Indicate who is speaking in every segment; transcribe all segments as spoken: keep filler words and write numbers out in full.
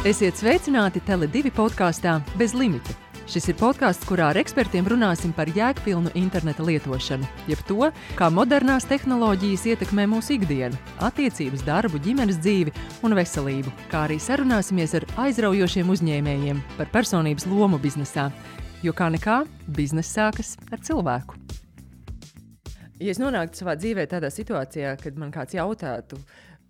Speaker 1: Esiet sveicināti Tele divi podkāstā Bez limita. Šis ir podkāsts, kurā ar ekspertiem runāsim par jēgpilnu interneta lietošanu, jeb to, kā modernās tehnoloģijas ietekmē mūsu ikdienu, attiecības, darbu, ģimenes dzīvi un veselību, kā arī sarunāsimies ar aizraujošiem uzņēmējiem par personības lomu biznesā, jo kā nekā, bizness sākas ar cilvēku. Ja es nonāktu savā dzīvē tādā situācijā, kad man kāds jautātu,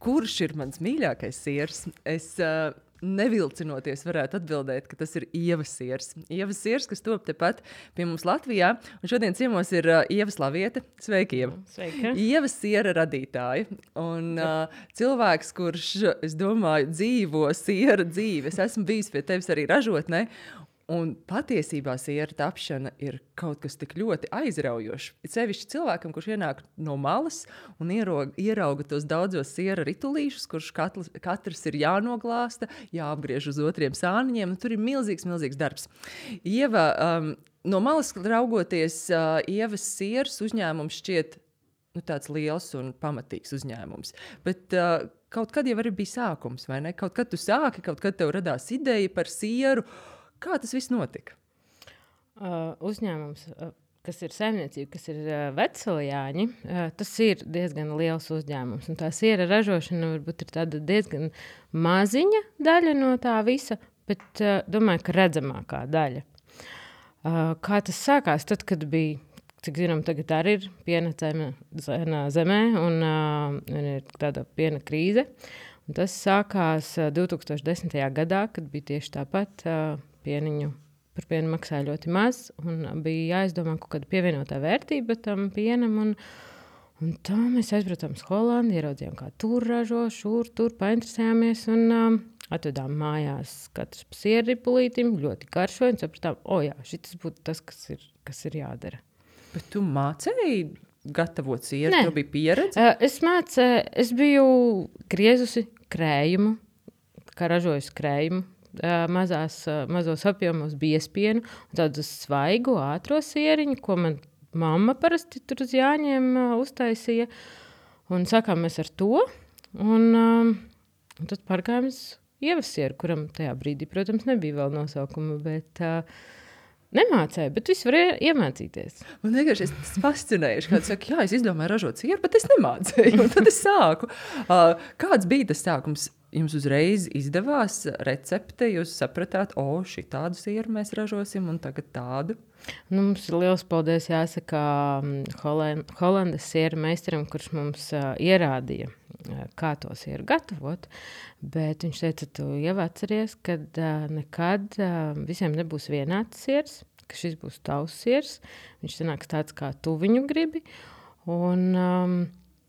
Speaker 1: kurš ir mans mīļākais siers, es uh, nevilcinoties varētu atbildēt, ka tas ir Ievas siers. Ievas siers, kas top tepat pie mums Latvijā, un šodien ciemos ir uh, Ieva Slaviete. Sveiki, Ieva!
Speaker 2: Sveika!
Speaker 1: Ievas siera radītāja, un uh, cilvēks, kurš, es domāju, dzīvo siera dzīvi. Es esmu bijis pie tevis arī ražotnē, un patiesībā siera tapšana ir kaut kas tik ļoti aizraujošs. Ir sevišķi cilvēkam, kurš ienāk no malas un ierauga, ierauga tos daudzos siera ritulīšus, kurš katrs, katrs ir jānoglāsta, jāapgriež uz otriem sāniņiem. Tur ir milzīgs, milzīgs darbs. Ieva, um, no malas raugoties, uh, Ievas sieras uzņēmums šķiet nu, tāds liels un pamatīgs uzņēmums. Bet uh, kaut kad jau arī bija sākums, vai ne? Kaut kad tu sāki, kaut kad tev radās ideja par sieru. Kā tas viss notika?
Speaker 2: Uh, uzņēmums, uh, kas ir saimniecība, kas ir uh, Vecsaljāņi, uh, tas ir diezgan liels uzņēmums. Un tā siera ražošana varbūt ir tāda diezgan maziņa daļa no tā visa, bet uh, domāju, ka redzamākā daļa. Uh, kā tas sākās tad, kad bija, cik zinām, tagad arī ir piena cena zemē un, uh, un ir tāda piena krīze. Un tas sākās uh, divtūkstoš desmitajā gadā, kad bija tieši tāpat uh, pieniņu, par pienu maksāja ļoti maz, un bija jāizdomā kaut kāda pievienotā vērtība tam pienam, un, un tā mēs aizbraucām uz Holandi, ieraudzījām, kā tur ražo, šur, tur painteresējāmies, un um, atvedām mājās katrs pa sierripulītim, ļoti garšoja, un sapratām, o jā, šitas būtu tas, kas ir, kas ir jādara.
Speaker 1: Bet tu mācēji gatavot sieru,
Speaker 2: Nē.
Speaker 1: tev bija pieredze?
Speaker 2: Uh, es mācēju, es biju griezusi krējumu, kā ražojusi krējumu, Uh, mazās, uh, mazos apjomos biespienu un tādu svaigu, ātro sieriņu, ko man mamma parasti tur uz Jāņiem uh, uztaisīja. Un sākām mēs ar to. Un, um, un tad pārgājām uz Ievas sieru, kuram tajā brīdī, protams, nebija vēl nosaukuma, bet uh, nemācēju, bet visu varēja iemācīties.
Speaker 1: Man vienkārši es fascinējuši, kāds saka, jā, es izdomāju ražot sieru, bet es nemācēju, un tad es sāku. Uh, kāds bija tas sākums? Jums uzreiz izdevās recepte, jūs sapratāt, o, šī tādu sieru mēs ražosim un tagad tādu?
Speaker 2: Nu, mums ir liels paldies jāsaka Holand, Holandas sieru meistaram, kurš mums uh, ierādīja, uh, kā to sieru gatavot, bet viņš teica, tu jau atceries, ka uh, nekad uh, visiem nebūs vienāds siers, ka šis būs tavs siers, viņš sanāks tāds, kā tu viņu gribi, un... Um,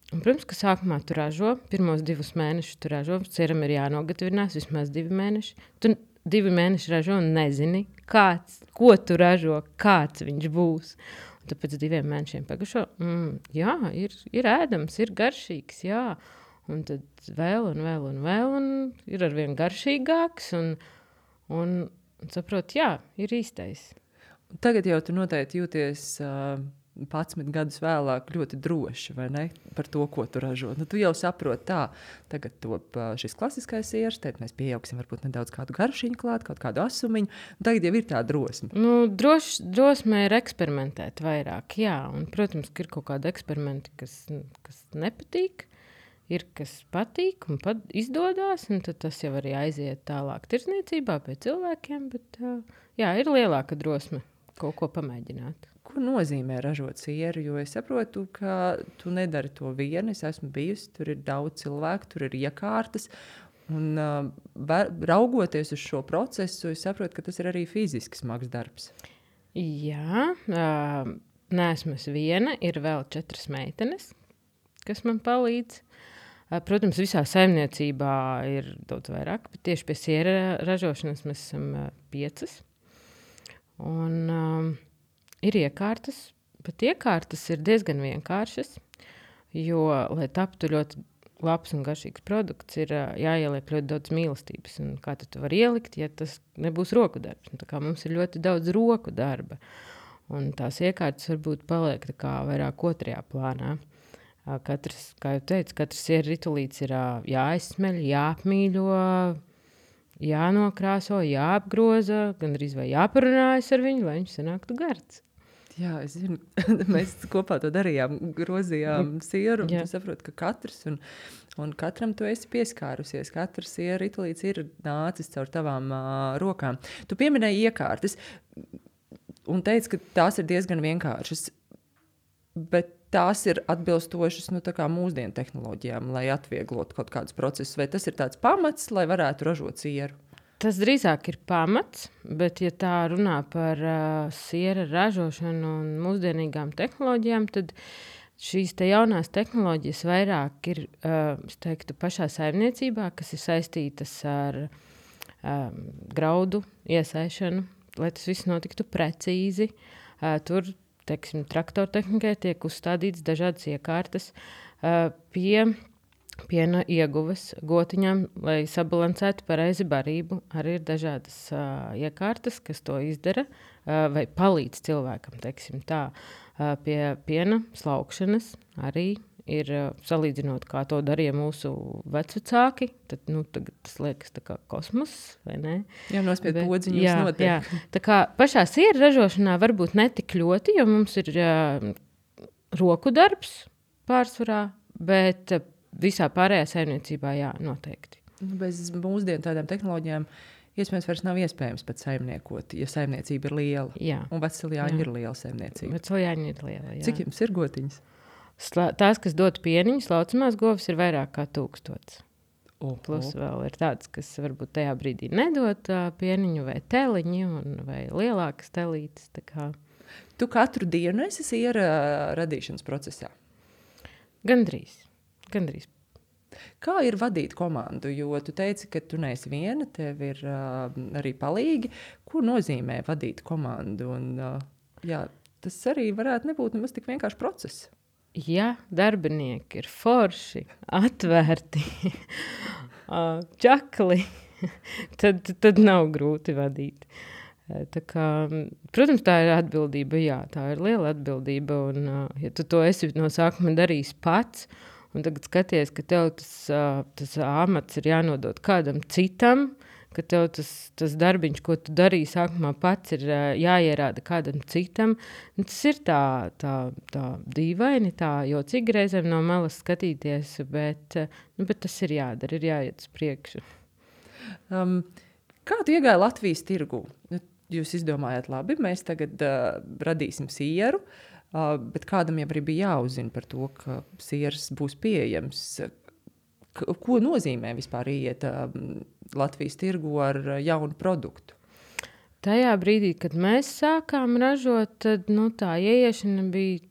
Speaker 2: Un, protams, ka sākumā tu ražo, pirmos divus mēnešus tu ražo, sieram ir jānogatavinās vismaz divi mēneši. Tu divi mēneši ražo un nezini, kāds, ko tu ražo, kāds viņš būs. Un tad pēc diviem mēnešiem pagašo, mm, jā, ir, ir ēdams, ir garšīgs, jā. Un tad vēl un vēl un vēl, un ir arvien garšīgāks, un, un, un saprot, jā, ir īstais.
Speaker 1: Tagad jau tu noteikti jūties... Uh... padsmit gadus vēlāk ļoti droši, vai ne, par to, ko tu ražo. Nu, tu jau saproti tā, tagad top šis klasiskais siers, tad mēs pieaugsim varbūt nedaudz kādu garšiņu klāt, kaut kādu asumiņu, un tagad jau ir tā drosme.
Speaker 2: Nu, droši, drosme ir eksperimentēt vairāk, jā, un, protams, ka ir kaut kādi eksperimenti, kas, kas nepatīk, ir, kas patīk un pat izdodās, un tad tas jau arī aiziet tālāk tirzniecībā pie cilvēkiem, bet, jā, ir lielāka drosme kaut ko pamēģināt.
Speaker 1: Ko nozīmē ražot sieru, jo es saprotu, ka tu nedari to vieni, es esmu bijusi, tur ir daudz cilvēku, tur ir iekārtas, un uh, var, raugoties uz šo procesu, es saprotu, ka tas ir arī fiziski smags darbs.
Speaker 2: Jā, uh, neesmu es viena, ir vēl četras meitenes, kas man palīdz. Uh, protams, visā saimniecībā ir daudz vairāk, bet tieši pie siera ražošanas mēs esam uh, piecas. Un... Um, Ir iekārtas, bet iekārtas ir diezgan vienkāršas, jo, lai taptu ļoti labs un garšīgs produkts, ir jāieliek ļoti daudz mīlestības. Un kā tu vari ielikt, ja tas nebūs roku darbs? Un tā kā mums ir ļoti daudz roku darba. Un tās iekārtas varbūt paliek tā kā vairāk otrajā plānā. Katrs, kā jau teicu, katrs ritulīts ir jāizsmeļ, jāapmīļo, jānokrāso, jāapgroza, gandrīz vai jāparunājas ar viņu, lai viņš sanāktu gards.
Speaker 1: Jā, es zinu, mēs kopā to darījām, grozījām sieru, un
Speaker 2: Jā.
Speaker 1: tu saproti, ka katrs, un, un katram tu esi pieskārusies, katrs siera ritulīts ir nācis caur tavām uh, rokām. Tu pieminēji iekārtas, un teici, ka tās ir diezgan vienkāršas, bet tās ir atbilstošas nu, tā kā mūsdienu tehnoloģijām, lai atvieglotu kaut kādus procesus, vai tas ir tāds pamats, lai varētu ražot sieru?
Speaker 2: Tas drīzāk ir pamats, bet, ja tā runā par uh, siera ražošanu un mūsdienīgām tehnoloģijām, tad šīs te jaunās tehnoloģijas vairāk ir, uh, es teiktu, pašā saimniecībā, kas ir saistītas ar um, graudu iesaišanu, lai tas viss notiktu precīzi. Uh, tur, teiksim, traktortehnikai tiek uzstādīts dažādas iekārtas uh, pie piena ieguves gotiņām, lai sabalansētu pareizi barību. Arī ir dažādas uh, iekārtas, kas to izdara uh, vai palīdz cilvēkam, teiksim tā. Uh, pie piena slaukšanas arī ir uh, salīdzinot, kā to darīja mūsu vecvecāki. Tad, nu, tagad tas liekas tā kā kosmos, vai ne?
Speaker 1: Jā, nospied podziņus
Speaker 2: jā,
Speaker 1: notiek.
Speaker 2: Jā. Tā kā pašā siera ražošanā varbūt netik ļoti, jo mums ir uh, roku darbs pārsvarā, bet uh, visā pārējā saimniecībā, jā, noteikti.
Speaker 1: Bez mūsdienu tādām tehnoloģijām iespējams vairs nav iespējams pat saimniekot, ja saimniecība ir liela.
Speaker 2: Jā.
Speaker 1: Un Vecliljāņi ir liela saimniecība.
Speaker 2: Vecliljāņi ir liela, jā.
Speaker 1: Cik jums ir gotiņas?
Speaker 2: Slā, tās, kas dod pieniņus, laucamās govis ir vairāk kā tūkstots.
Speaker 1: Oh,
Speaker 2: Plus
Speaker 1: oh.
Speaker 2: vēl ir tāds, kas varbūt tajā brīdī nedod uh, pieniņu vai teliņu, un, vai lielākas telītes. Tā kā.
Speaker 1: Tu katru dienu esi siera radīšanas procesā?
Speaker 2: Gandrīz. Gandrīz.
Speaker 1: Kā ir vadīt komandu? Jo tu teici, ka tu neesi viena, tev ir uh, arī palīgi. Ko nozīmē vadīt komandu? Un, uh, jā, tas arī varētu nebūt nemaz tik vienkārši process.
Speaker 2: Ja darbinieki ir forši, atvērti, čakli, tad, tad nav grūti vadīt. Tā kā, protams, tā ir atbildība, jā, tā ir liela atbildība. Un, ja tu to esi no sākuma darījis pats, un tagad skaties, ka tev tas, tas amats ir jānodot kādam citam, ka tev tas, tas darbiņš, ko tu darīji sākumā pats, ir jāierāda kādam citam. Un tas ir tā, tā, tā dīvaini, tā jocīgi reizēm no malas skatīties, bet, nu, bet tas ir jādara, ir jāiet uz priekšu.
Speaker 1: Um, kā tu iegāji Latvijas tirgū? Jūs izdomājāt, labi, mēs tagad uh, radīsim sieru, uh, bet kādam jau arī bija jāuzzina par to, ka sieras būs pieejams. K- ko nozīmē vispār iet uh, Latvijas tirgu ar uh, jaunu produktu?
Speaker 2: Tajā brīdī, kad mēs sākām ražot, tad nu, tā ieiešana bija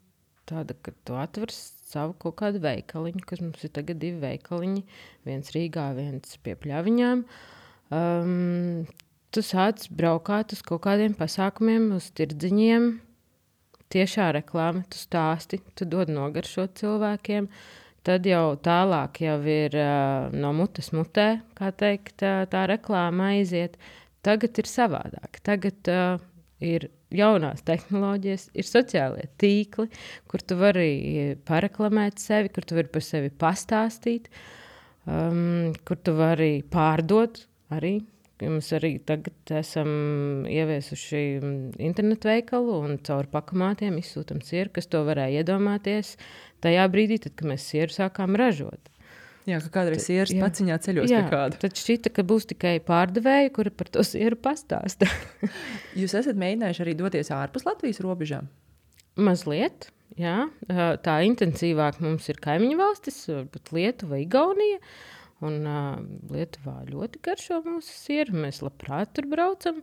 Speaker 2: tāda, ka tu atver savu kaut kādu veikaliņu, kas mums ir tagad divi veikaliņi, viens Rīgā, viens pie Pļaviņām. Um, tu sāc braukāt uz kaut kādiem pasākumiem, uz tirdziņiem, tiešā reklāma, tu stāsti, tu dod nogaršot cilvēkiem, tad jau tālāk jau ir uh, no mutes mutē, kā teikt, uh, tā reklāma aiziet. Tagad ir savādāk. Tagad uh, ir jaunās tehnoloģijas, ir sociālie tīkli, kur tu vari pareklamēt sevi, kur tu vari par sevi pastāstīt, um, kur tu vari pārdot arī. Mēs arī tagad esam ieviesuši internetu veikalu un caur pakamātiem izsūtam sieru, kas to varēja iedomāties tajā brīdī, tad, kad mēs sieru sākām ražot.
Speaker 1: Jā, ka kādreiz sieras
Speaker 2: jā.
Speaker 1: paciņā ceļos
Speaker 2: Jā,
Speaker 1: pie kāda.
Speaker 2: tad šķita, ka būs tikai pārdevēja, kura par to sieru pastāsta.
Speaker 1: Jūs esat mēģinājuši arī doties ārpus Latvijas robežām?
Speaker 2: Mazliet, jā. Tā intensīvāk mums ir kaimiņu valstis, varbūt Lietuva, Igaunija. Un uh, Lietuvā ļoti garšo mūsu sieru, mēs labprāt tur braucam.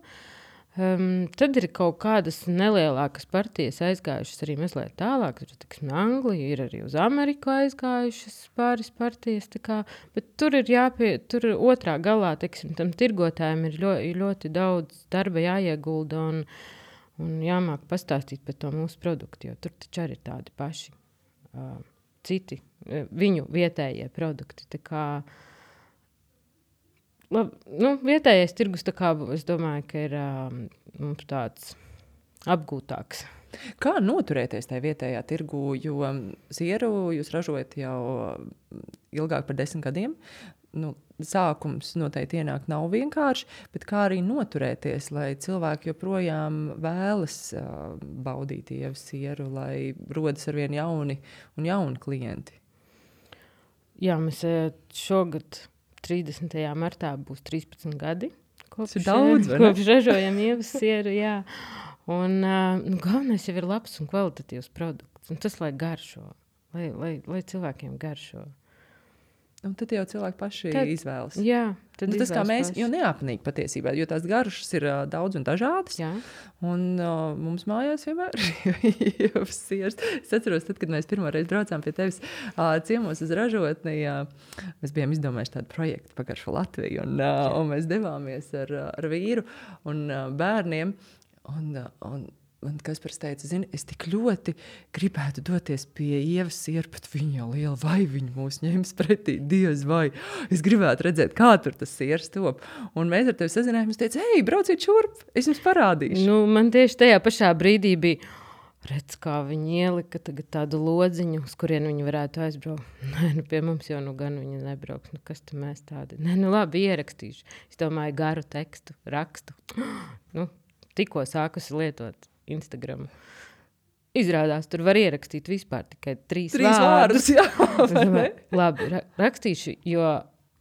Speaker 2: Um, tad ir kaut kādas nelielākas partijas aizgājušas arī mazliet tālāk. Tur, tiksim, Anglija ir arī uz Ameriku aizgājušas pāris partijas. Tā kā, bet tur ir jāpie, tur otrā galā, tiksim, tam tirgotājiem ir ļoti, ļoti daudz darba jāiegulda un, un jāmāk pastāstīt par to mūsu produktu, jo tur taču arī ir tādi paši uh, citi, uh, viņu vietējie produkti. Tā kā Lab, nu, vietējais tirgus, tā kā, es domāju, ka ir um, mums tāds apgūtāks.
Speaker 1: Kā noturēties tajā vietējā tirgu, jo sieru jūs ražojat jau ilgāk par desmit gadiem? Nu, sākums noteikti ienāk nav vienkārši, bet kā arī noturēties, lai cilvēki joprojām vēlas uh, baudīt ievas sieru, lai rodas arvien jauni un jauni klienti?
Speaker 2: Jā, mēs šogad trīsdesmitajā martā būs trīspadsmit gadi. Kopš,
Speaker 1: daudz,
Speaker 2: kopš ražojam ievas sieru, jā. Un uh, nu, galvenais jau ir labs un kvalitatīvs produkts. Un tas, lai garšo, lai, lai, lai cilvēkiem garšo.
Speaker 1: Un tad jau cilvēki paši
Speaker 2: tad,
Speaker 1: izvēlas.
Speaker 2: Jā, tad
Speaker 1: nu, tas kā mēs,
Speaker 2: paši.
Speaker 1: Jo neapnīgi patiesībā, jo tās garšas ir uh, daudz un dažādas.
Speaker 2: Jā.
Speaker 1: Un uh, mums mājās vienmēr ir siers. Es atceros, tad, kad mēs pirmo reizi braucām pie tevis uh, ciemos uz ražotni, uh, mēs bijām izdomājuši tādu projektu Pagaršo Latviju, un, uh, un mēs devāmies ar, ar vīru un uh, bērniem. Un, un, un Kaspars teica, zini, es tik ļoti gribētu doties pie ievas sieru, bet viņa jau liela, vai viņa mūs ņems pretī, diez vai. Es gribētu redzēt, kā tur tas siers top. Un mēs ar tevi sazinājāmies, teica, hei, brauciet šurp, es jums parādīšu.
Speaker 2: Nu, man tieši tajā pašā brīdī bija, redz, kā viņi ielika tagad tādu lodziņu, uz kurien viņi varētu aizbraukt. Nē, nu pie mums jau nu gan viņi nebrauks, nu kas tu mēs tādi. Nē, nu labi, ierakstīšu. Es domāju, garu tekstu, rakstu. Nu, tikko sākusi lietot Instagramu. Izrādās, tur var ierakstīt vispār tikai trīs,
Speaker 1: trīs
Speaker 2: vārdus.
Speaker 1: vārdus. Jā,
Speaker 2: domāju, labi, ra rakstīšu, jo,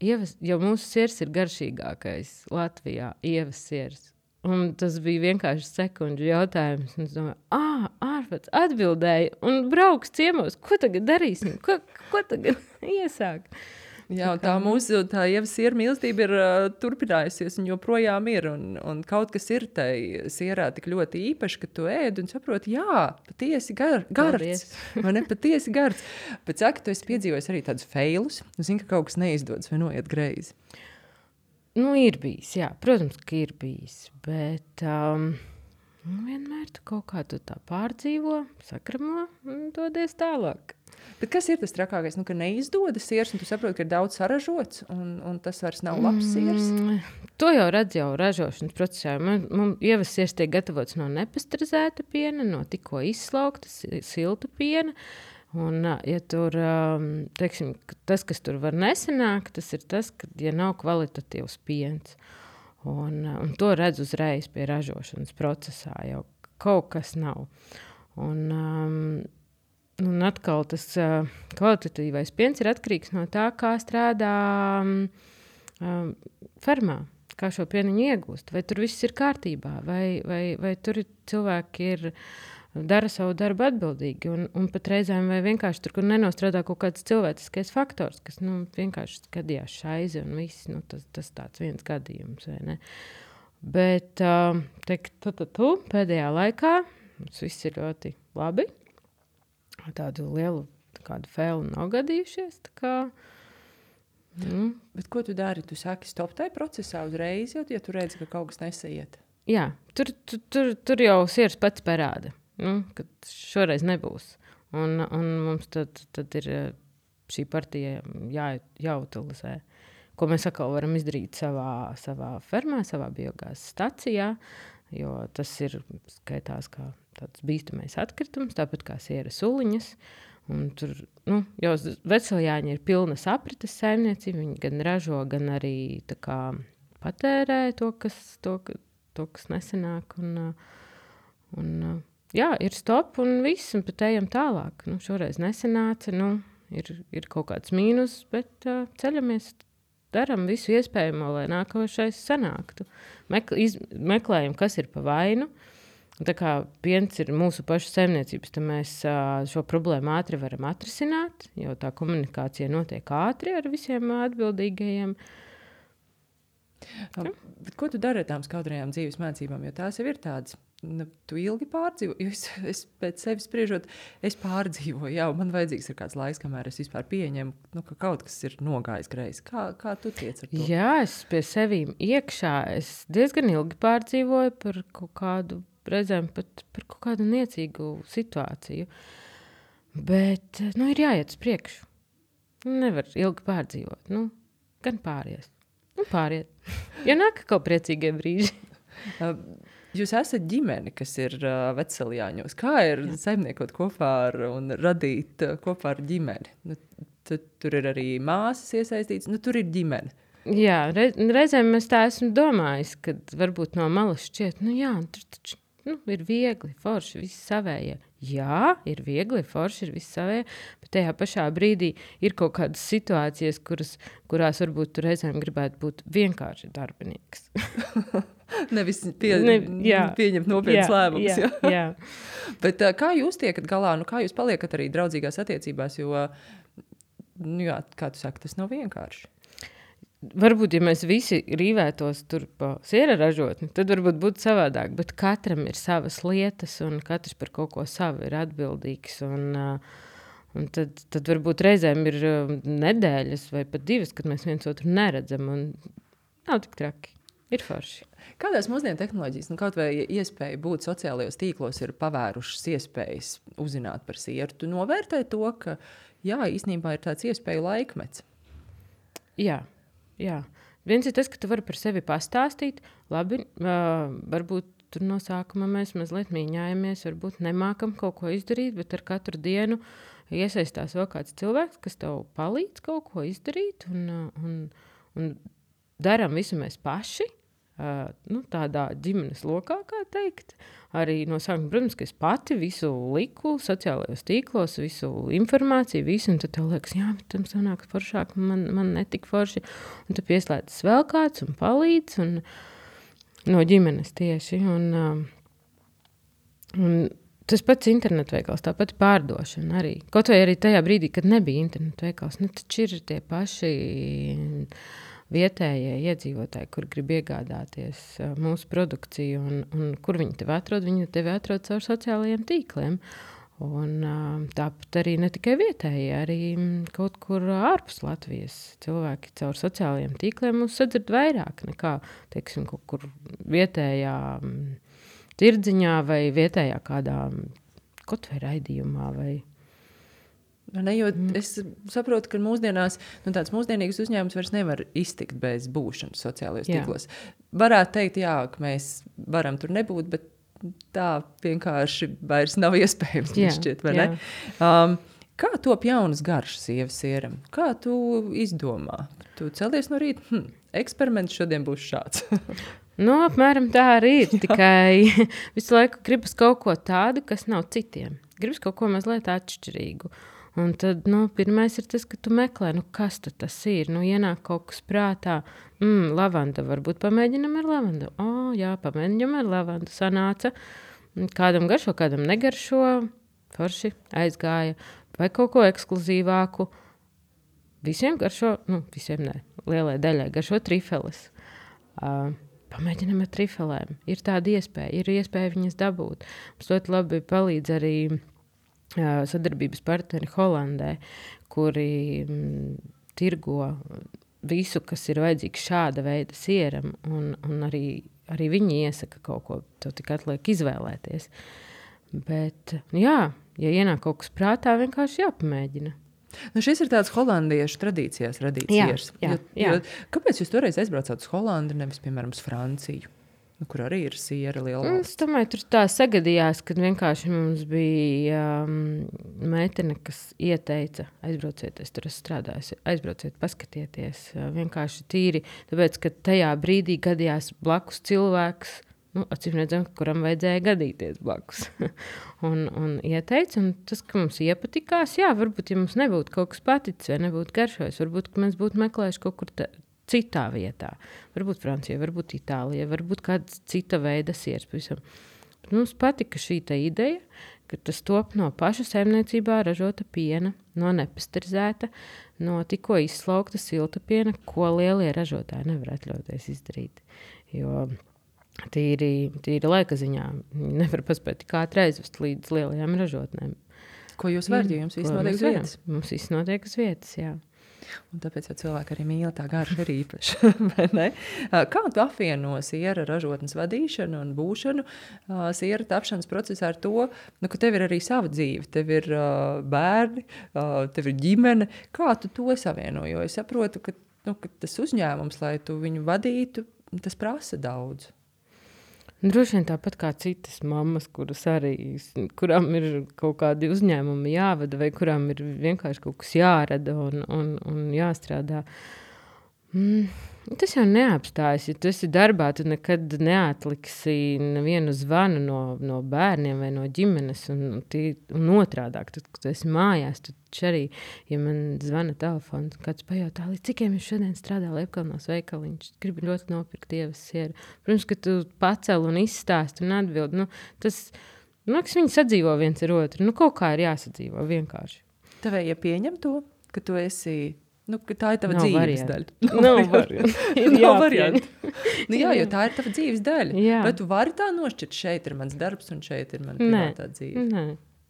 Speaker 2: ievas, jo mūsu siers ir garšīgākais Latvijā, ievas siers. Un tas bija vienkārši sekundžu jautājums. Un es domāju, ā, ārpats atbildēja un brauks ciemos. Ko tagad darīsim? Ko, ko tagad iesāk?
Speaker 1: Jā, un tā mūsu tā ievas sieru mīlestība ir uh, turpinājusies un joprojām ir. Un, un kaut kas ir tai sierā tik ļoti īpaši, ka tu ēd un saproti, jā, patiesi gar, gards. Vai ne, patiesi gards. Bet saka, tu esi piedzīvojis arī tādus failus. Nu, zini, ka kaut kas neizdodas vai noiet greizi.
Speaker 2: Nu, ir bijis, jā. Protams, ka ir bijis. Bet um, nu, vienmēr tu kaut kā tu tā pārdzīvo, sakramo un dodies tālāk.
Speaker 1: Bet kas ir tas trakākais? Nu, ka neizdodas siers, un tu saproti, ka ir daudz saražots, un, un tas vairs nav labs siers?
Speaker 2: Mm, to jau redz jau ražošanas procesā. Man, man ievas siers tiek gatavots no nepastrizēta piena, no tikko izslaukta silta piena. Un, ja tur, teiksim, tas, kas tur var nesanākt, tas ir tas, ka, ja nav kvalitatīvs piens. Un, un to redz uzreiz pie ražošanas procesā, jau kaut kas nav. Un, um, Un atkal tas uh, kvalitatīvais piens ir atkarīgs no tā, kā strādā um, fermā, kā šo pieniņu iegūst. Vai tur viss ir kārtībā, vai, vai, vai tur cilvēki ir, dara savu darbu atbildīgi. Un, un pat reizēm vai vienkārši tur, kur nenostrādā kaut kāds cilvēciskais faktors, kas nu, vienkārši gadījās šaizi un viss, nu, tas, tas tāds viens gadījums. Vai ne? Bet uh, teikt, tu, tu, tu, pēdējā laikā tas viss ir ļoti labi. Tādu lielu kādu fēlu nav gadījušies. Tā kā, nu.
Speaker 1: Bet ko tu dari? Tu saki stop tai procesā uzreiz, jo ja tu redzi, ka kaut kas nesaiet?
Speaker 2: Jā, tur, tur, tur, tur jau siers pats parāda, nu, ka šoreiz nebūs. Un, un mums tad, tad ir šī partija jā, jāutilizē. Ko mēs atkal varam izdarīt savā, savā fermā, savā biogāzes stacijā, jo tas ir skaitās kā tāds bīstamais atkritums, tāpat kā siera suliņas. Un tur, nu, jau Veceļjāņi ir pilnas aprites saimniecība, viņi gan ražo, gan arī tā kā patērē to, kas, to, to, kas nesanāk. Un, un, jā, ir stop un viss, un pat ejam tālāk. Nu, šoreiz nesanāca, nu, ir, ir kaut kāds mīnus, bet uh, ceļamies, daram visu iespējamo, lai nākošais sanāktu. Mekl, iz, meklējam, kas ir pa vainu. Tā kā piens ir mūsu pašu saimniecības, tad mēs uh, šo problēmu ātri varam atrisināt, jo tā komunikācija notiek ātri ar visiem atbildīgajiem.
Speaker 1: Um, bet ko tu dari ar tām skaudrajām dzīves mācībām? Jo tās jau ir tādas, nu, tu ilgi pārdzīvo, jo es, es pēc sevis spriežot, es pārdzīvoju, jau man vajadzīgs ir kāds laiks, kamēr es vispār pieņemu, nu, ka kaut kas ir nogājis greizi. Kā, kā tu tiec ar to?
Speaker 2: Jā, es pie sevīm iekšā, es diezgan ilgi pārdzīvoju par kaut kādu, reizēm pat par kaut kādu niecīgu situāciju. Bet, nu, ir jāiet uz priekšu. Nevar ilgi pārdzīvot. Nu, gan pāries. Nu, pāriet. Ja nāk kaut priecīgie brīži.
Speaker 1: Jūs esat ģimene, kas ir uh, Vecsaljāņos. Kā ir Jā. saimniekot kopā ar un radīt uh, kopā ar ģimeni? Nu, tu, tur ir arī māsas iesaistīts, nu tur ir ģimene.
Speaker 2: Jā, re, reizēm es tā esmu domājis, kad varbūt no malas šķiet, nu jā, tur taču nu, ir viegli, forši, visi savējie. Jā, ir viegli, forši, ir visi savējie, bet tajā pašā brīdī ir kaut kādas situācijas, kuras, kurās varbūt tu reizēm gribētu būt vienkārši darbinieks.
Speaker 1: Nevis pie,
Speaker 2: ne, jā,
Speaker 1: pieņemt nopietnas lēmumus.
Speaker 2: Jā, jā.
Speaker 1: Bet kā jūs tiekat galā, nu kā jūs paliekat arī draudzīgās attiecībās, jo, nu jā, kā tu saki, tas nav vienkārši.
Speaker 2: Varbūt, ja mēs visi rīvētos tur pa siera ražotni, tad varbūt būtu savādāk, bet katram ir savas lietas un katrs par kaut ko savu ir atbildīgs. Un, un tad, tad varbūt reizēm ir nedēļas vai pat divas, kad mēs viens otru neredzam un nav tik traki. Ir forši.
Speaker 1: Kādās mūsdienu tehnoloģijas, nu kaut vai iespēja būt sociālajos tīklos ir pavērušas iespējas uzzināt par sieru? Tu novērtē to, ka jā, īstenībā ir tāds iespēju laikmets?
Speaker 2: Jā. Jā. Viens ir tas, ka tu vari par sevi pastāstīt. Labi, uh, varbūt tur no sākuma mēs mazliet mīņājamies, varbūt nemākam kaut ko izdarīt, bet ar katru dienu iesaistās vēl kāds cilvēks, kas tev palīdz kaut ko izdarīt un, un, un daram visu mēs paši. Uh, nu, tādā ģimenes lokā, kā teikt. Arī no sākuma, protams, ka es pati visu liku sociālajos tīklos, visu informāciju, visu, un tad tev liekas, jā, bet tam sanāk foršāk, man, man netik forši. Un tu pieslēdzas vēl kāds un palīdz, un no ģimenes tieši. Un, uh, un tas pats internetveikals, tāpat pārdošana arī. Kaut vai arī tajā brīdī, kad nebija internetveikals, nu taču ir tie paši vietējie iedzīvotāji, kur grib iegādāties uh, mūsu produkciju un, un kur viņi tevi atrod, viņi tevi atrod caur sociālajiem tīkliem. Un uh, tāpat arī ne tikai vietējie, arī kaut kur ārpus Latvijas cilvēki caur sociālajiem tīkliem mūs sadzird vairāk nekā, teiksim, kaut kur vietējā um, tirdziņā vai vietējā kādā kaut vai raidījumā vai
Speaker 1: Ne, jo es saprotu, ka mūsdienās nu, tāds mūsdienīgs uzņēmums vairs nevar iztikt bez būšanas sociālajos jā. tīklos. Varētu teikt, jā, ka mēs varam tur nebūt, bet tā vienkārši vairs nav iespējams. Jā, šķiet, vai jā. Ne? Um, kā top jaunas garšas sievas sieram? Kā tu izdomā? Tu celies no rīta? Hm, eksperiments šodien būs šāds.
Speaker 2: Nu, apmēram tā arī ir. Tikai visu laiku gribas kaut ko tādu, kas nav citiem. Gribas kaut ko mazliet atšķirīgu. Un tad, nu, pirmais ir tas, ka tu meklē, nu, kas tad tas ir? Nu, ienāk kaut kas prātā. Mm, lavanda, varbūt pamēģinam ar lavandu. O, jā, pamēģinam ar lavandu. Sanāca. Kādam garšo, kādam negaršo. Forši aizgāja. Vai kaut ko ekskluzīvāku. Visiem garšo, nu, visiem ne, lielai daļai garšo trifeles. Uh, pamēģinam ar trifelēm. Ir tāda iespēja, ir iespēja viņas dabūt. Mums ļoti labi palīdz arī sadarbības partneri Holandē, kuri m, tirgo visu, kas ir vajadzīgs šāda veida sieram, un, un arī, arī viņi iesaka kaut ko, tev tik atliek izvēlēties. Bet, jā, ja ienāk kaut kas prātā, vienkārši jāpamēģina.
Speaker 1: Nu, šis ir tāds holandiešu tradīcijās radīts siers.
Speaker 2: Jā,
Speaker 1: jo,
Speaker 2: jā.
Speaker 1: Jo, kāpēc jūs toreiz aizbraucāt uz Holandi, nevis, piemēram, uz Franciju? Nu, kur arī ir siera liela valsts.
Speaker 2: Es domāju, tur tā sagadījās, kad vienkārši mums bija um, meitene, kas ieteica, aizbrauciet, es tur esmu strādājusi, aizbrauciet, paskatieties. Uh, vienkārši tīri, tāpēc, ka tajā brīdī gadījās blakus cilvēks, nu, acīm redzam, kuram vajadzēja gadīties blakus. un, un ieteica, un tas, ka mums iepatikās, jā, varbūt, ja mums nebūtu kaut kas paticis vai nebūtu garšojis, varbūt, ka mēs būtu meklējuši kaut kur tā, citā vietā. Varbūt Francija, varbūt Itālija, varbūt kāda cita veida siers. Pavisam. Mums patika šī tā ideja, ka tas top no paša saimniecībā ražota piena, no nepasterizēta, no tikko izslaukta silta piena, ko lielie ražotāji nevar atļauties izdarīt. Jo tīri, tīri laika ziņā nevar paspēt tik ātri aizvest līdz lielajām ražotnēm.
Speaker 1: Ko jūs varat, jo jums viss notiek uz vietas?
Speaker 2: Mums viss notiek uz vietas, jā.
Speaker 1: Un tāpēc jau cilvēki arī mīl tā garša ir īpaša. Kā tu apvieno siera ražotnes vadīšanu un būšanu siera tapšanas procesā ar to, nu, ka tev ir arī sava dzīve, tev ir uh, bērni, uh, tev ir ģimene. Kā tu to savieno? Jo es saprotu, ka, nu, ka tas uzņēmums, lai tu viņu vadītu, tas prasa daudz.
Speaker 2: Droši vien tāpat kā citas mammas, kuras arī, kurām ir kaut kādi uzņēmumi jāvada vai kurām ir vienkārši kaut kas jārada un, un, un jāstrādā. Mm, tas jau neapstājas. Ja tu esi darbā, tu nekad neatliksi nevienu zvanu no, no bērniem vai no ģimenes. Un, tī, un otrādāk, tad, kad tu esi mājās, tu arī, ja man zvana telefons, kāds pajautā, līdz cikiem es šodien strādāju Liepkalnos veikaliņš, gribu ļoti nopirkt ievas sieru. Protams, ka tu pacel un izstāst un atbild. Nu, tas, nu, kas viņi sadzīvo viens ar otru. Nu, kaut kā ir jāsadzīvo vienkārši.
Speaker 1: Tev ja pieņem to, ka tu esi... Nu, tā ir tava
Speaker 2: Nav
Speaker 1: dzīves
Speaker 2: variantu.
Speaker 1: daļa.
Speaker 2: Nav variantu.
Speaker 1: Nav variantu. Nu, jā, jo tā ir tava dzīves daļa.
Speaker 2: Jā.
Speaker 1: Vai tu vari tā nošķirt, šeit ir mans darbs un šeit ir mana privātā dzīve?
Speaker 2: Nē.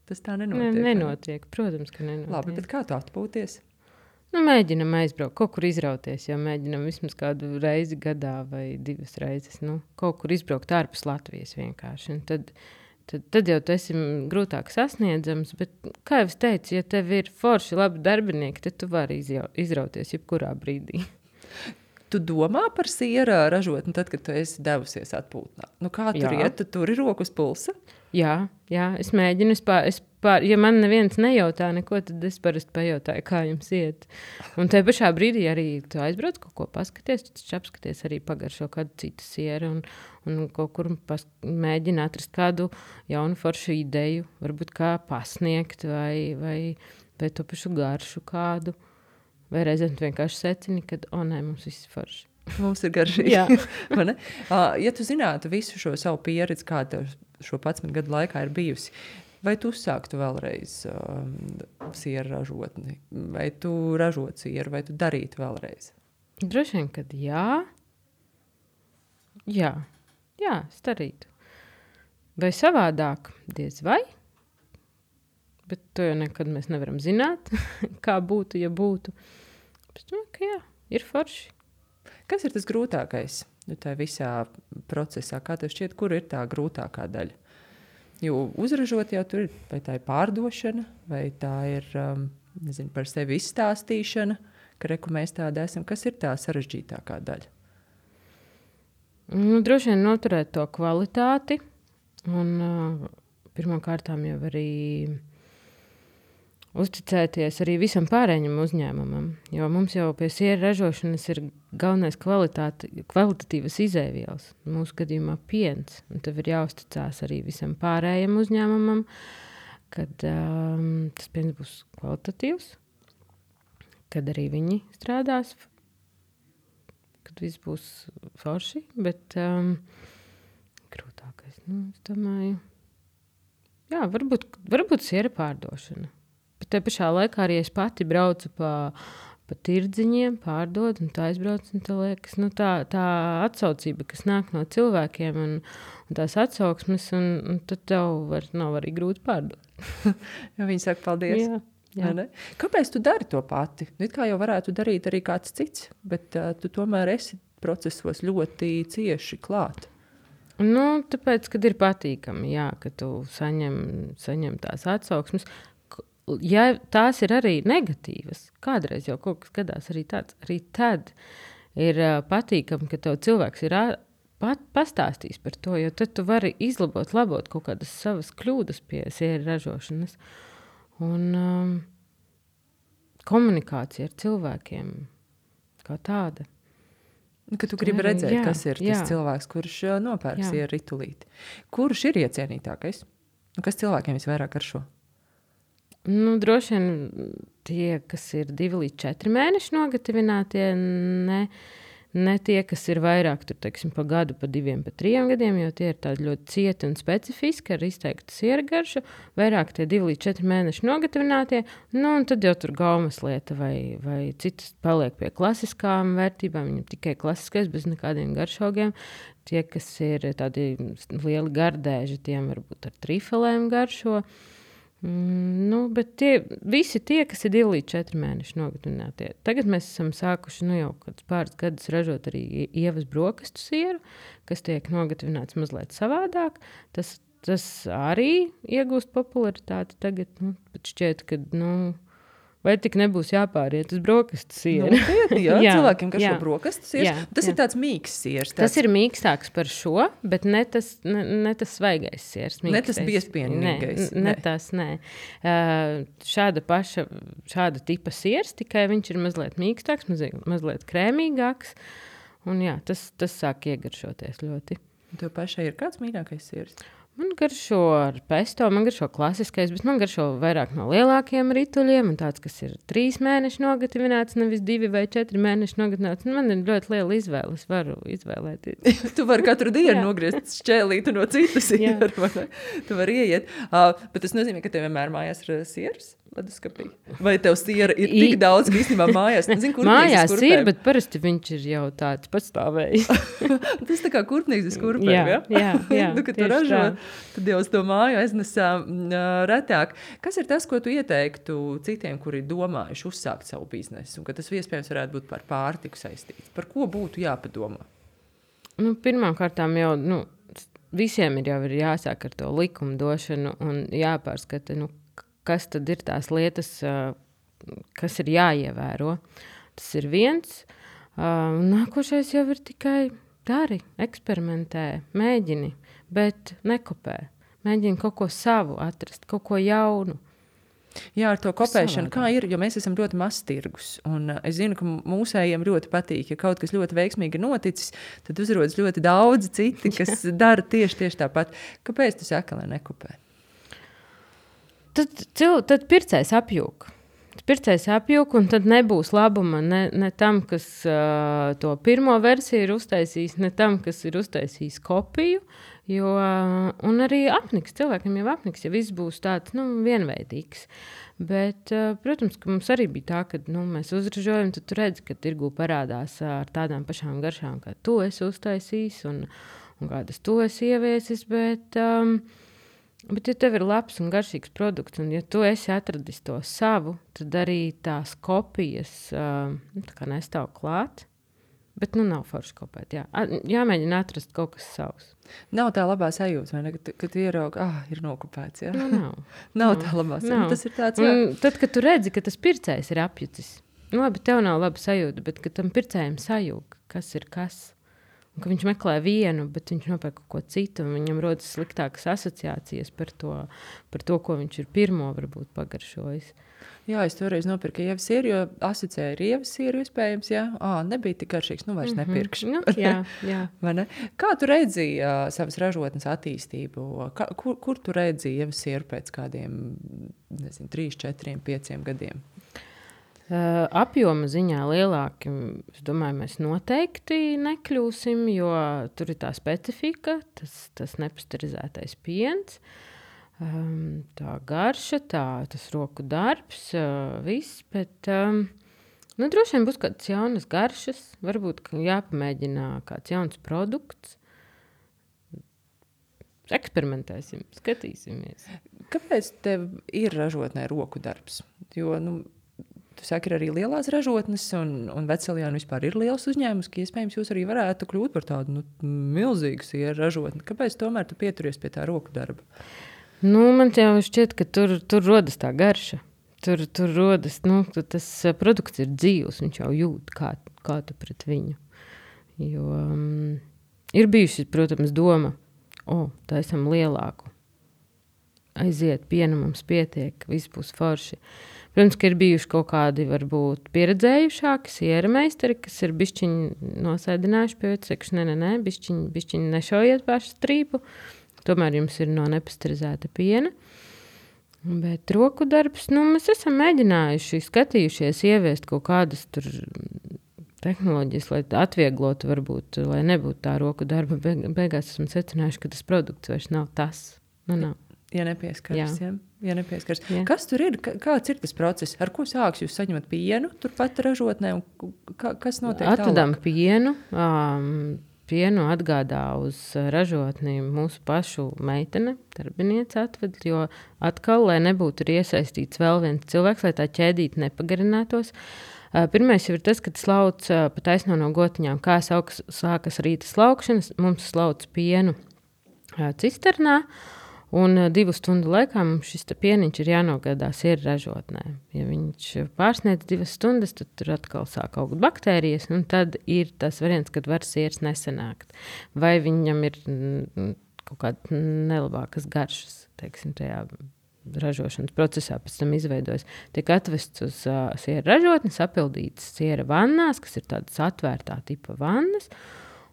Speaker 1: Tas tā
Speaker 2: Ne,
Speaker 1: nenotiek.
Speaker 2: nenotiek. Protams, ka nenotiek.
Speaker 1: Labi, bet kā tu atpūties?
Speaker 2: Nu, mēģinam aizbraukt, kaut kur izrauties, jo mēģinam vismaz kādu reizi gadā vai divas reizes. Nu, kaut kur izbraukt ārpus Latvijas vienkārši. Un tad, tad, tad jau tu esi grūtāk sasniedzams, bet, kā jau es teicu, ja tev ir forši labi darbinieki, tad tu vari izjau, izrauties jebkurā brīdī.
Speaker 1: Tu domā par siera ražotni tad, kad tu esi devusies atpūtnā? Nu, kā tur
Speaker 2: Jā.
Speaker 1: iet? Tu tur ir rokas pulsa?
Speaker 2: Jā, jā, es mēģinu, es pār, es pār, ja man neviens nejautā neko, tad es parasti pajautāju, kā jums iet. Un tajā pašā brīdī arī tu aizbrauc kaut ko paskaties, tu taču apskaties arī pagaršo kādu citu sieru un, un kaut kur pas, mēģina atrast kādu jaunu foršu ideju, varbūt kā pasniegt vai, vai, vai to pašu garšu kādu. Vai reizēm tu vienkārši secini, kad, o nē, mums viss ir forši.
Speaker 1: Mums ir garšīgi.
Speaker 2: Jā.
Speaker 1: Vai ne? Uh, ja tu zinātu visu šo savu pieredzi, kā tev šo padsmit gadu laikā ir bijusi, vai tu uzsāktu vēlreiz um, siera ražotni? Vai tu ražot sieru, vai tu darītu vēlreiz?
Speaker 2: Droši vien, kad jā. Jā, jā, es darītu. Vai savādāk? Diez vai? Bet to jau nekad mēs nevaram zināt, kā būtu, ja būtu. Bet, nu, ka jā, ir forši.
Speaker 1: Kas ir tas grūtākais nu, tajā visā procesā? Kā tev šķiet, kur ir tā grūtākā daļa? Jo uzražot jau tur ir, vai tā ir pārdošana, vai tā ir, um, nezinu, par sevi izstāstīšana, ka reku mēs tāda esam. Kas ir tā sarežģītākā daļa?
Speaker 2: Nu, droši vien noturēt to kvalitāti. Un uh, pirmām kārtām jau arī uzticēties arī visam pārējiem uzņēmumam. Jo mums jau pie siera ražošanas ir galvenais kvalitatīvas izēvielas. Mūsu gadījumā piens. Un tev ir jāuzticās arī visam pārējiem uzņēmumam, kad um, tas piens būs kvalitatīvs, kad arī viņi strādās, kad viss būs forši. Bet um, grūtākais, nu, es domāju, jā, varbūt, varbūt siera pārdošana. Bet te pašā laikā arī es pati braucu pa, pa tirdziņiem, pārdod, un tā aizbrauc, un tā liekas, nu tā, tā atsaucība, kas nāk no cilvēkiem, un, un tās atsauksmes, un, un tad tev var, nav arī grūti pārdot.
Speaker 1: Ja viņi saka paldies.
Speaker 2: Jā, jā.
Speaker 1: Ne? Kāpēc tu dari to pati? Nu, it kā jau varētu darīt arī kāds cits, bet uh, tu tomēr esi procesos ļoti cieši klāt.
Speaker 2: Nu, tāpēc, kad ir patīkami, jā, ka tu saņem, saņem tās atsauksmes. Ja tās ir arī negatīvas, kādreiz jau kaut kas gadās arī tāds, arī tad ir uh, patīkami, ka tev cilvēks ir uh, pat, pastāstījis par to, jo tad tu vari izlabot, labot kaut kādas savas kļūdas pie siera ražošanas. Un um, komunikācija ar cilvēkiem kā tāda.
Speaker 1: Ka tu gribi redzēt, jā, kas ir tas
Speaker 2: jā.
Speaker 1: cilvēks, kurš uh, nopērk siera ritulīti. Kurš ir iecienītākais? Un kas cilvēkiem visvairāk garšo?
Speaker 2: Nu, droši vien tie, kas ir divi līdz četri mēneši nogatavinātie, ne, ne tie, kas ir vairāk, tur, teiksim, pa gadu, pa diviem, pa trijiem gadiem, jo tie ir tādi ļoti cieti un specifiski ar izteiktu siera garšu, vairāk tie divi līdz četri mēneši nogatavinātie, nu, un tad jau tur gaumas lieta vai, vai citas paliek pie klasiskām vērtībām, viņam tikai klasiskais, bez nekādiem garšaugiem. Tie, kas ir tādi lieli gardēži, tiem varbūt ar trifelēm garšo. Mm, nu, bet tie, visi tie, kas ir divi līdz četri mēneši nogatavinātie. Tagad mēs esam sākuši nu, jau pāris gadus ražot arī ievas brokastu sieru, kas tiek nogatavināts mazliet savādāk. Tas, tas arī iegūst popularitāti tagad. Nu, bet šķiet, ka nu, vai tik nebūs jāpāriet uz brokastu sieru.
Speaker 1: Nu, jā, jā, cilvēkiem, kas
Speaker 2: jā.
Speaker 1: šo brokastu siers, jā, tas jā. Ir tāds mīks siers. Tāds...
Speaker 2: Tas ir mīkstāks par šo, bet ne tas, ne, ne tas svaigais siers. Mīkstais.
Speaker 1: Ne tas biespienīgais.
Speaker 2: Ne, ne tas, nē. Uh, šāda paša, šāda tipa siers, tikai viņš ir mazliet mīkstāks, mazliet, mazliet krēmīgāks. Un jā, tas, tas sāk iegaršoties ļoti.
Speaker 1: Tev pašai ir kāds mīļākais siers?
Speaker 2: Man garšo ar pesto, man garšo klasiskais, bet man garšo vairāk no lielākiem rituļiem, un tāds, kas ir trīs mēneši nogatavināts, nevis divi vai četri mēneši nogatavināts. Man ir ļoti liela izvēle, es varu izvēlēties.
Speaker 1: Tu vari katru dienu nogriezt šķēlītu no citas sieru, vai ne? Tu vari ieiet. Uh, bet tas nozīmē, ka tev vienmēr mājās ir siers? Leduskapī. Vai tev siera ir tik I... daudz, ka īstenībā mājās? Nezinu,
Speaker 2: mājās ir, bet parasti viņš ir jau tāds patstāvējis.
Speaker 1: Tas tā kā kurpnīgs uz kurpēm,
Speaker 2: jā?
Speaker 1: Ja?
Speaker 2: Jā, jā.
Speaker 1: Nu, kad tu ražo, tad jau uz to māju aiznesā uh, retāk. Kas ir tas, ko tu ieteiktu citiem, kuri domājuši uzsākt savu biznesu, un ka tas iespējams varētu būt par pārtiku saistīts? Par ko būtu jāpadomā?
Speaker 2: Nu, pirmām kārtām jau, nu, visiem ir jau ir jāsāk ar to likumu došanu un jāpārskata, nu, kas tad ir tās lietas, kas ir jāievēro. Tas ir viens. Nākošais jau ir tikai dari, eksperimentē, mēģini, bet nekopē. Mēģini kaut ko savu atrast, kaut ko jaunu.
Speaker 1: Jā, ar to kopēšanu, kā ir, jo mēs esam ļoti maz tirgus. Un uh, es zinu, ka mūsējiem ļoti patīk, ja kaut kas ļoti veiksmīgi noticis, tad uzrodas ļoti daudz citi, kas dara tieši, tieši tāpat. Kāpēc tu saki, lai nekopē?
Speaker 2: Tad, cil, tad pircējs apjūk. Pircējs apjūk, un tad nebūs labuma ne, ne tam, kas uh, to pirmo versiju ir uztaisījis, ne tam, kas ir uztaisījis kopiju, jo, uh, un arī apniks, cilvēkiem jau apniks, ja viss būs tāds, nu, vienveidīgs. Bet, uh, protams, ka mums arī bija tā, ka, nu, mēs uzražojam, tad tu redzi, ka tirgū parādās uh, ar tādām pašām garšām, kā tu esi uztaisījis, un, un kādas tu esi ieviesis, bet... Um, Bet, ja tev ir labs un garšīgs produkts, un ja tu esi atradis to savu, tad arī tās kopijas uh, tā kā nestāv klāt. Bet, nu, nav forši kopēt, jā. Jāmēģina atrast kaut kas savs.
Speaker 1: Nav tā labā sajūta, vai ne? Kad, kad ieraugi, ah, ir nokopēts, jā?
Speaker 2: Nu, nav.
Speaker 1: nav tā labā sajūta.
Speaker 2: Nav.
Speaker 1: Tas ir tāds, jā.
Speaker 2: Un tad, kad tu redzi, ka tas pircējs ir apjucis, nu, labi, tev nav laba sajūta, bet, kad tam pircējiem sajūg, kas ir kas, un ka viņš meklē vienu, bet viņš nopērk kaut ko citu, un viņam rodas sliktākas asociācijas par to, par to, ko viņš ir pirmo varbūt pagaršojis.
Speaker 1: Jā, es toreiz nopirku ievas sieru, jo asociēju ar ievas sieru iespējams, jā. Ā, nebija tik garšīgs, nu vairs mm-hmm. nepirkšu.
Speaker 2: Nu, jā, jā.
Speaker 1: Vai ne? Kā tu redzi uh, savas ražotnes attīstību? Kā, kur, kur tu redzi ievas sieru pēc kādiem, nezinu, trīs, četriem, pieciem gadiem?
Speaker 2: Uh, apjoma ziņā lielāki, es domāju, mēs noteikti nekļūsim, jo tur ir tā specifika, tas, tas nepasterizētais piens, um, tā garša, tā, tas roku darbs, uh, viss, bet um, nu, droši vien būs kādas jaunas garšas, varbūt jāpamēģina kāds jauns produkts. Eksperimentēsim, skatīsimies.
Speaker 1: Kāpēc tev ir ražotnē roku darbs? Jo, nu, tu saki, ir arī lielās ražotnes, un, un Veceļjāna vispār ir liels uzņēmums, ka iespējams jūs arī varētu kļūt par tādu nu, milzīgu sieru ražotni. Kāpēc tomēr tu pieturies pie tā roku darba?
Speaker 2: Nu, man jau šķiet, ka tur, tur rodas tā garša. Tur, tur rodas, nu, tas produkts ir dzīvs, viņš jau jūt, kā, kā tu pret viņu. Jo um, ir bijuši, protams, doma, o, tā esam lielāku. Aiziet, piena mums pietiek, viss būs forši. Protams, ka ir bijuši kaut kādi varbūt pieredzējušāki siera meistari, kas ir bišķiņi nosēdinājuši pie vecekšu, ne, ne, ne, bišķiņi, bišķiņi nešaujiet pašu strīpu, tomēr jums ir no nepasterizēta piena. Bet roku darbs, nu, mēs esam mēģinājuši, skatījušies, ieviest kaut kādas tur tehnoloģijas, lai atvieglotu varbūt, lai nebūtu tā roku darba. Beigās esam secinājuši, ka tas produkts vairs nav tas. Nu, nav.
Speaker 1: Ja nepieskaras, jā. Ja, ja nepieskaras.
Speaker 2: Jā.
Speaker 1: Kas tur ir? Kāds ir tas process? Ar ko sāks jūs saņemat pienu turpat ražotnē? Un kā, kas notiek
Speaker 2: Atvedam
Speaker 1: tālāk?
Speaker 2: pienu. Um, pienu atgādā uz ražotni mūsu pašu meitene, darbiniece atved, jo atkal, lai nebūtu iesaistīts vēl viens cilvēks, lai tā ķēdīte nepagarinātos. Uh, pirmais jau ir tas, kad slauc uh, pa taisno no gotiņām, kā sauks, sākas rīta slaukšanas, mums slauc pienu uh, cisternā. Un uh, divu stundu laikā mums šis pieniņš ir jānogādā sieru ražotnē. Ja viņš pārsniedz divas stundas, tad tur atkal sāk augt baktērijas, un tad ir tas variants, kad var sieras nesanākt. Vai viņam ir mm, kaut kāda nelabākas garšas, teiksim, tajā ražošanas procesā pēc tam izveidojas. Tiek atvests uz uh, siera ražotni, sapildīts siera vannās, kas ir tādas atvērtā tipa vannas,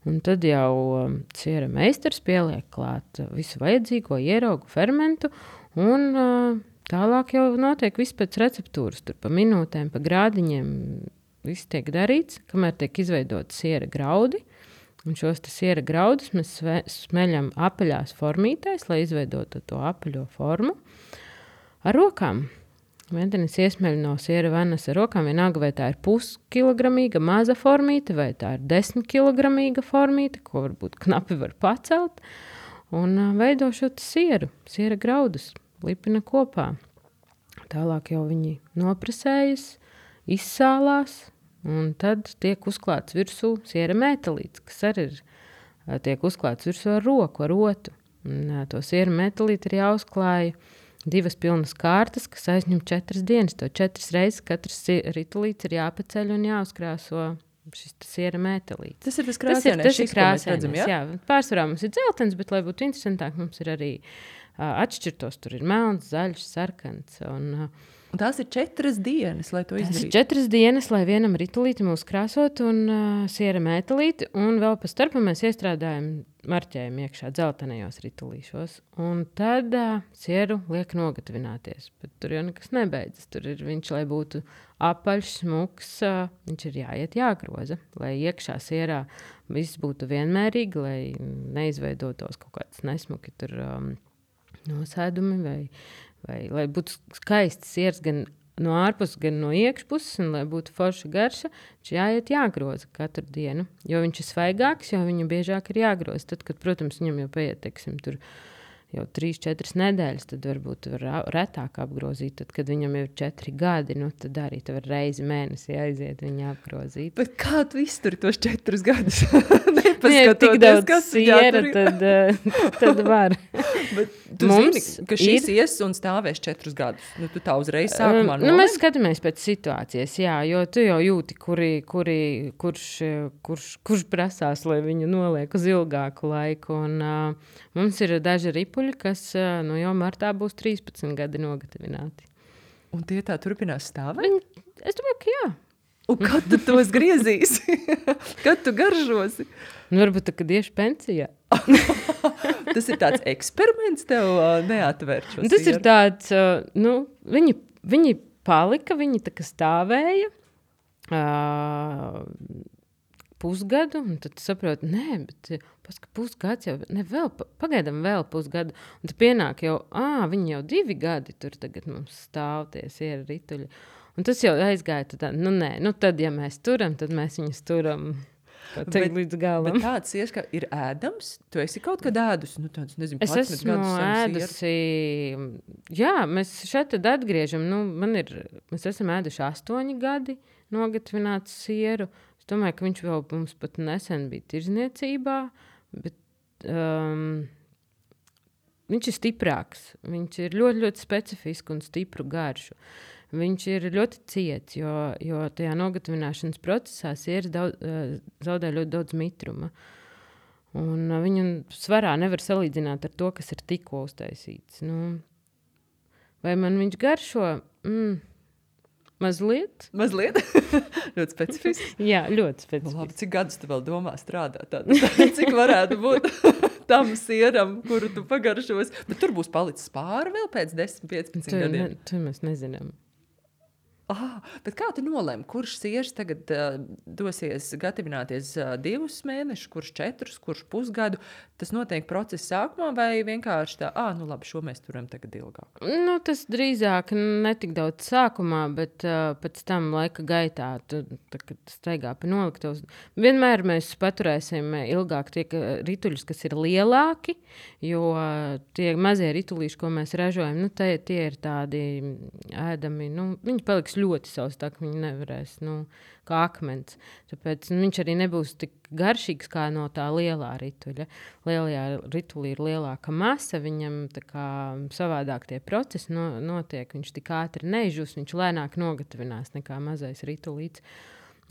Speaker 2: un tad jau um, siera meistars pieliek klāt visu vajadzīgo ieraugu fermentu, un uh, tālāk jau notiek viss pēc receptūras, tur pa minūtēm, pa grādiņiem, viss tiek darīts, kamēr tiek izveidot siera graudi, un šos siera graudus mēs sve, smeļam apaļās formītēs, lai izveidotu to apaļo formu. Ar rokām. Ventenis iesmeļ no siera vannas ar rokām, vienalga, vai tā ir puskilogramīga maza formīte, vai tā ir desmitkilogramīga formīte, ko varbūt knapi var pacelt, un uh, veido šo sieru, siera graudus, lipina kopā. Tālāk jau viņi nopresējas, izsālās, un tad tiek uzklāts virsū siera metalīts, kas arī ir, uh, tiek uzklāts virsū ar roku, ar otu. Un, uh, to siera metalīti ir jāuzklāja divas pilnas kārtas, kas aizņem četras dienas. To četras reizes katrs ritulīts ir jāpaceļ un jāuzkrāso šis siera metalīts.
Speaker 1: Tas ir tas krāsainais,
Speaker 2: tas ir, tas ir krāsainais, jā? jā. Pārsvarā mums ir dzeltens, bet, lai būtu interesantāk, mums ir arī uh, atšķirtos. Tur ir melns, zaļš, sarkans. Un, uh,
Speaker 1: un tās ir četras dienas, lai to izdarītu?
Speaker 2: Tās ir četras dienas, lai vienam ritulītim uzkrāsot un uh, siera metalīti. Un vēl pa starpu mēs iestrādājam marķējumu iekšā dzeltenajos ritulīšos. Un tad uh, sieru liek nogatavināties. Bet tur jau nekas nebeidzas. Tur ir viņš, lai būtu apaļš, smuks, uh, viņš ir jāiet jāgroza. Lai iekšā sierā viss būtu vienmērīgi, lai neizveidotos kaut kāds nesmuki tur um, nosēdumi vai, vai lai būtu skaists siers gan no ārpuses, gan no iekšpuses, un lai būtu forša garša, viņš jāiet jāgroza katru dienu, jo viņš ir svaigāks, jo viņu biežāk ir jāgroza. Tad, kad, protams, viņam jau paiet, teiksim, tur jau trīs, četras nedēļas, tad varbūt var retāk apgrozīt. Tad, kad viņam jau ir četri gadi, nu, tad arī tu var reizi mēnesi aiziet viņu apgrozīt.
Speaker 1: Bet kā tu izturi tos četrus gadus?
Speaker 2: Ja tik daudz siera, tad, tad var.
Speaker 1: Bet tu Mums zini, ka šis ir... ies un stāvēs četrus gadus. Nu, tu tā uzreiz sākumā
Speaker 2: um, nu, mēs skatāmies pēc situācijas, jā, jo tu jau jūti, kuri, kuri, kurš, kurš, kurš prasās, lai viņu noliek uz ilgāku laiku. Un, uh, mums ir daži ripuļi, kas uh, nu, jau martā būs trīspadsmit gadi nogatavināti.
Speaker 1: Un tie tā turpinās stāvēt?
Speaker 2: Viņi, es domāju, ka jā.
Speaker 1: Un kad tu tos griezīsi? Kad tu garžosi?
Speaker 2: Nu, varbūt tā, kad iešu pensijā.
Speaker 1: Tas ir tāds eksperiments tev uh, neatvērt šo
Speaker 2: Tas
Speaker 1: sieru?
Speaker 2: Ir tāds, uh, nu, viņi, viņi palika, viņi tā kā stāvēja uh, pusgadu, un tad saproti, nē, bet paska pusgads jau, ne, vēl, pagaidām vēl pusgadu, un tad pienāk jau, ā, viņi jau divi gadi tur tagad mums stāv tie siera rituļi. Un tas jau aizgāja, tad, nu nē, nu tad, ja mēs turam, tad mēs viņus turam teikt līdz galam.
Speaker 1: Bet tāds siers, ka ir ēdams? Tu esi kaut kad ēdus? Nu, tāds, nezinu,
Speaker 2: es esmu ēdusi, jā, mēs šeit tad atgriežam, nu, man ir, mēs esam ēduši astoņi gadi nogatavinātu sieru. Es domāju, ka viņš vēl mums pat nesen bija tirzniecībā, bet um, viņš ir stiprāks. Viņš ir ļoti, ļoti specifisks un stipru garšu. Viņš ir ļoti ciets, jo, jo tajā nogatavināšanas procesā sieras daudz, zaudē ļoti daudz mitruma. Un viņu svarā nevar salīdzināt ar to, kas ir tikko uztaisīts. Nu, vai man viņš garšo? Mm, mazliet.
Speaker 1: Mazliet? Ļoti specifisks?
Speaker 2: Jā, ļoti specifisks.
Speaker 1: Labi, cik gadus tu vēl domā strādāt? Tātad, cik varētu būt tam sieram, kuru tu pagaršos? Bet tur būs palicis pāri vēl pēc desmit, piecpadsmit gadiem.
Speaker 2: Ne, to mēs nezinām.
Speaker 1: Ah, bet kā tu nolēmi, kurš siers tagad uh, dosies gatavināties uh, divus mēnešus, kurš četrus, kurš pusgadu? Tas notiek procesa sākumā vai vienkārši tā, ah, nu labi, šo mēs turam tagad ilgāk?
Speaker 2: Nu, tas drīzāk netik daudz sākumā, bet uh, pēc tam laika gaitā, tu, tā, kad staigā pa noliktavas. Vienmēr mēs paturēsim ilgāk tie rituļus, kas ir lielāki, jo uh, tie mazie ritulīši, ko mēs ražojam, nu, tie, tie ir tādi ēdami, nu, viņi paliks ļoti savs, tā ka viņi nevarēs, nu, kā akmens. Tāpēc nu, viņš arī nebūs tik garšīgs kā no tā lielā rituļa. Lielajā ritulī ir lielāka masa, viņam tā kā savādāk tie procesi no, notiek, viņš tik ātri neizžūs, viņš lēnāk nogatavinās nekā mazais ritulīts.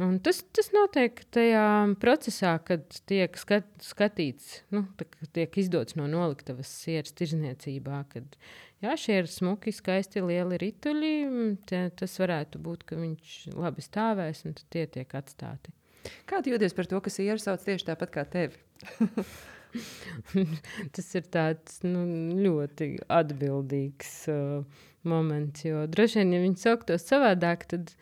Speaker 2: Un tas, tas notiek tajā procesā, kad tiek skat, skatīts, nu, tā, tiek izdots no noliktavas sieras tirzniecībā, kad jā, šie ir smuki, skaisti, lieli rituļi, tie, tas varētu būt, ka viņš labi stāvēs un tad tie tiek atstāti.
Speaker 1: Kā tu jūties par to, ka sieru sauc tieši tāpat kā tevi?
Speaker 2: Tas ir tāds nu, ļoti atbildīgs uh, moments, jo droši vien, ja viņi sauktos savādāk, tad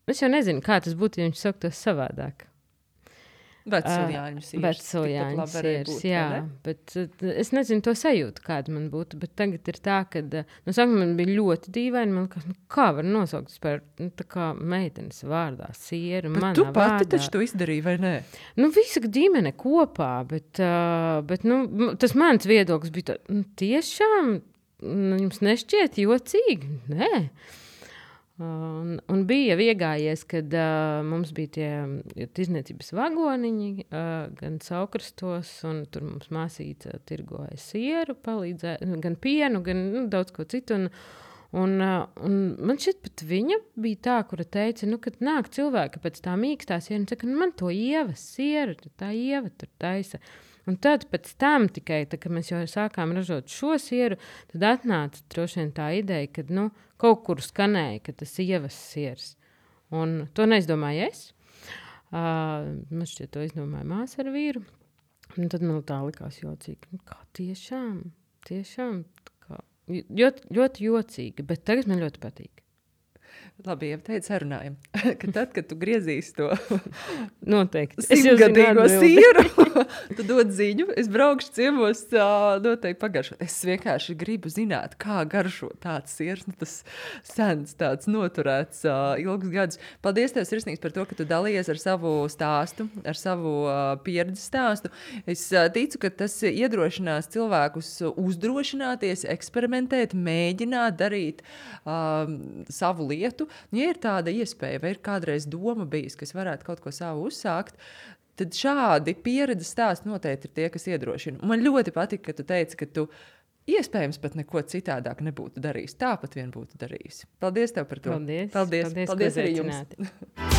Speaker 2: es jau nezinu, kā tas būtu, ja viņš sauktos savādāk.
Speaker 1: Vecsuljāņu sieras.
Speaker 2: Vecsuljāņu sieras, jā. Bet es nezinu to sajūtu, kāda man būtu. Bet tagad ir tā, ka, nu, sākumā man bija ļoti dīvaini. Man kā, nu, kā var nosaukt par, nu, tā kā meitenes vārdā sieru,
Speaker 1: bet
Speaker 2: manā
Speaker 1: tu pati
Speaker 2: vārdā.
Speaker 1: taču to izdarīji, vai ne?
Speaker 2: Nu, visa ģimene kopā, bet, uh, bet nu, tas mans viedoklis bija tā, nu, tiešām, nu, jums nešķiet jocīgi? Nē. Un, un bija iegājies, kad uh, mums bija tie tirzniecības vagoniņi, uh, gan Saukrastos, un tur mums māsīca tirgoja sieru, palīdzēja, gan pienu, gan nu, daudz ko citu. Un, un, uh, un man šķiet, pat viņa bija tā, kura teica, nu, kad nāk cilvēki pēc tā mīkstā siera, un saka, nu, man to ievas sieru, tā ieva tur taisa. Un tad pēc tam tikai, tā, kad mēs jau sākām ražot šo sieru, tad atnāca droši vien tā ideja, ka nu, kaut kur skanēja, ka tas ievas siers. Un to neizdomāju es. Uh, man šķiet, to izdomāja māsa ar vīru. Un tad man tā likās jocīgi. Kā tiešām, tiešām, kā, ļoti, ļoti jocīgi, bet tagad man ļoti patīk.
Speaker 1: Labi, jau teicu, sarunājam, ka tad, kad tu griezīsi to
Speaker 2: noteikti
Speaker 1: simtgadīgo sieru, tu dod ziņu, es braukšu ciemos noteikti pagaršot. Es vienkārši gribu zināt, kā garšo tāds siers, nu tas sens, tāds noturēts ilgus gadus. Paldies tev, sirsnīgs, par to, ka tu dalījies ar savu stāstu, ar savu pieredzi stāstu. Es ticu, ka tas iedrošinās cilvēkus uzdrošināties, eksperimentēt, mēģināt darīt um, savu lietu. Ja ir tāda iespēja, vai ir kādreiz doma bijis, kas varētu kaut ko savu uzsākt, tad šādi pieredzes stāsti noteikti ir tie, kas iedrošina. Man ļoti patika, ka tu teici, ka tu iespējams pat neko citādāk nebūtu darījis. Tāpat vien būtu darījis. Paldies tev par to.
Speaker 2: Paldies.
Speaker 1: Paldies,
Speaker 2: paldies,
Speaker 1: paldies arī jums.